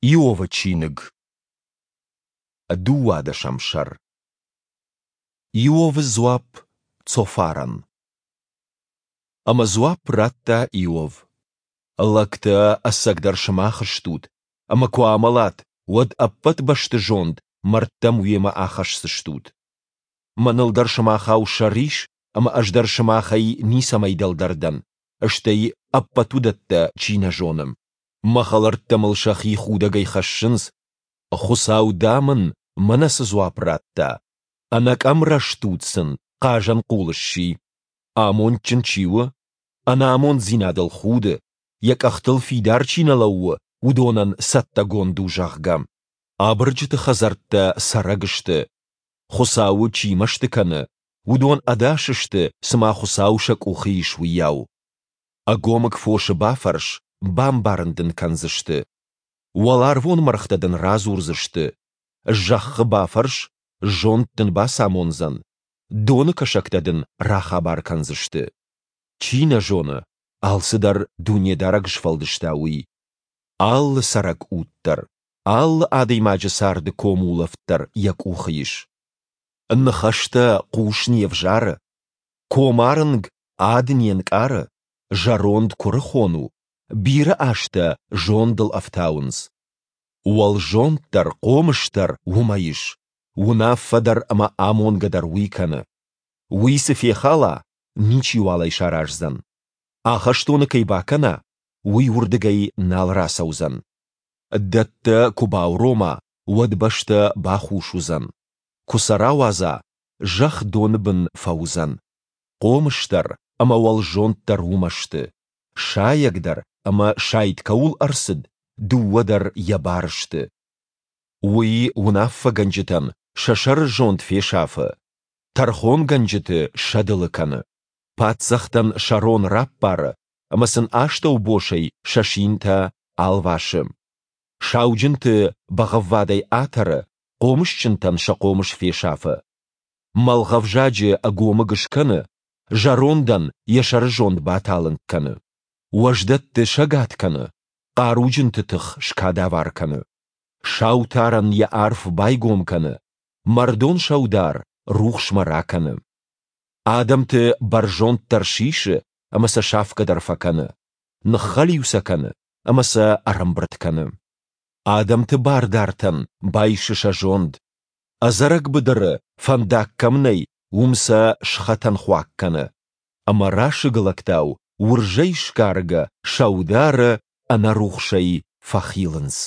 Иовы чиныг, дыууадӕсӕм сӕр. Иовы дзуапп Цофарӕн. Ӕмӕ дзуапп радта Иов: Лӕгтӕ ӕцӕгдӕр сымах стут, ӕмӕ куы амӕлат, уӕд ӕппӕт бӕсты зонд мӕрдтӕм уемӕ ахӕсдзыстут. Мӕныл дӕр сымахау сӕр ис, ӕмӕ ӕз дӕр сымахӕй ницӕмӕй дӕлдӕр дӕн, стӕй ӕппӕт уыдӕттӕ чи нӕ зоны. Мӕ хӕлӕрттӕ мыл сӕхи худӕгӕй хӕссынц, Хуыцау, дам, ын мӕнӕ цы дзуапп радта, ӕнӕкъӕм рӕстуд сын хъазӕнхъул сси. Амондджын чи у, ӕнамонддзинадыл худы, йӕ къӕхтыл фидар чи нӕ лӕууы, уыдонӕн цӕттӕгонд у, зӕгъгӕ. Абырджыты хӕдзӕрттӕ цӕрӕг сты. Хуыцауы чи мӕсты кӕны, уыдон ӕдас сты, цыма Хуыцау сӕ къухы ис, уыйау. Ӕгомыг фосы бафӕрс, бамбарын дын кӕндзысты. Уӕларвон мӕргътӕ дын радзурдзысты. Зӕххы бафӕрс, зонд дын бацамондзӕн. Доны кӕсӕгтӕ дын рахабар кӕндзысты. Чи нӕ зоны, алцыдӕр Дунедарӕг сфӕлдыста, уый. Алы цӕрӕг уд дӕр, алы адӕймаджы царды комулӕфт дӕр йӕ къухы ис. Ныхӕстӕ хъус не взары, комарынг ад не нкъары, зӕронд куырыхон у, бирӕ азтӕ зондыл ӕфтауынц. Уӕлзонд дӕр, хъомыс дӕр уымӕ ис, уынаффӕ дӕр ӕмӕ амонгӕ дӕр уый кӕны. Уый цы фехала, ничиуал ӕй сараздзӕн. Ахӕстоны кӕй бакӕна, уый уырдыгӕй нал рацӕудзӕн. Дӕттӕ куы баурома, уӕд бӕстӕ бахус уыдзӕн. Куы сӕ рауадза, зӕхх доны бын фӕуыдзӕн. Хъомыс дӕр ӕмӕ уӕлзонд дӕр уымӕ сты. Сайӕг дӕр ӕмӕ сайд кӕуыл ӕрцыд, дыууӕ дӕр йӕ бар сты. Уый уынаффӕгӕнджытӕн сӕ сӕры зонд фесафы, тӕрхонгӕнджыты сӕдылы кӕны, паддзӕхтӕн сӕ рон раппары ӕмӕ сын астӕубосӕй сӕ синтӕ алвасы. Сауджынты бӕгъӕввадӕй атӕры, хъомысджынтӕн сӕ хъомыс фесафы. Мӕлгъӕвзаджы ӕгомыг скӕны, зӕрондӕн йӕ сӕрызонд баталынг кӕны. Уӕздӕтты сӕгад кӕны, хъаруджынты тых скадавар кӕны. Сау тарӕн йӕ арф байгом кӕны, мӕрдон саудар рухсмӕ ракӕны. Адӕмты бӕрзонддӕр сисы ӕмӕ сӕ сафгӕ дӕр фӕкӕны, ныххӕлиу сӕ кӕны ӕмӕ сӕ ӕрӕмбырд кӕны. Адӕмты бардартӕн байсы сӕ зонд. Ӕдзӕрӕг быдыры, фӕндаг кӕм нӕй, уым сӕ схӕтӕнхуаг кӕны. Ӕмӕ расыг лӕгтау уырзӕй сгаргӕ сӕудары ӕнӕрухсӕй фӕхилынц.